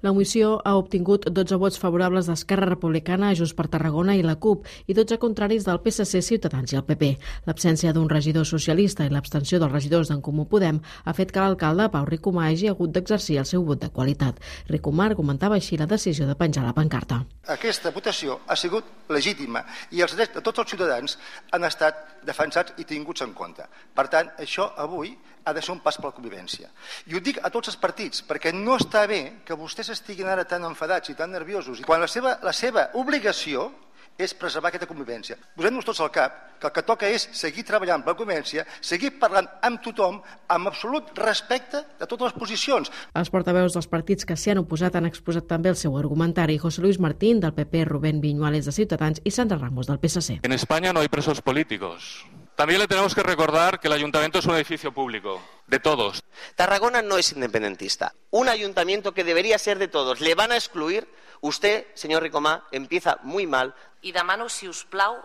La moció ha obtingut 12 vots favorables d'Esquerra Republicana, Junts per Tarragona i la CUP i 12 contraris del PSC, Ciutadans i el PP. L'absència d'un regidor socialista i l'abstenció dels regidors d'en Comú Podem ha fet que l'alcalde Pau Ricomà hagi hagut d'exercir el seu vot de qualitat. Ricomà argumentava així la decisió de penjar la pancarta. Aquesta votació ha sigut legítima i els drets de tots els ciutadans han estat defensats i tinguts en compte. Per tant, això avui ha de ser un pas per la convivència. I ho dic a tots els partits, perquè no està bé que vostès estiguin ara tan enfadats i tan nerviosos, quan la seva obligació és preservar aquesta convivència. Posem-nos tots al cap que el que toca és seguir treballant per la convivència, seguir parlant amb tothom, amb absolut respecte de totes les posicions. Els portaveus dels partits que s'hi han oposat han exposat també el seu argumentari. José Luis Martín, del PP, Rubén Viñuales, de Ciutadans, y Sandra Ramos, del PSC. En España no hay presos políticos. También le tenemos que recordar que el ayuntamiento es un edificio público, de todos. Tarragona no es independentista. Un ayuntamiento que debería ser de todos. Le van a excluir. Usted, señor Ricomà, empieza muy mal. I demano, si us plau,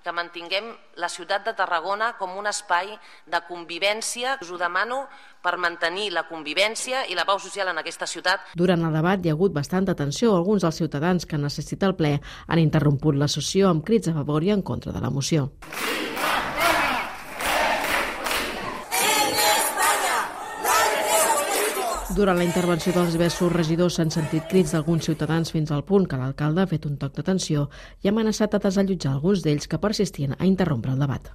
que mantinguem la ciutat de Tarragona com un espai de convivència. Us ho demano per mantenir la convivència i la pau social en aquesta ciutat. Durant el debat hi ha hagut bastanta tensió. Alguns dels ciutadans que han assistit al ple han interromput la sessió amb crits a favor i en contra de la moció. Durant la intervenció dels diversos regidors s'han sentit crits d'alguns ciutadans fins al punt que l'alcalde ha fet un toc d'atenció i ha amenaçat a desallotjar alguns d'ells que persistien a interrompre el debat.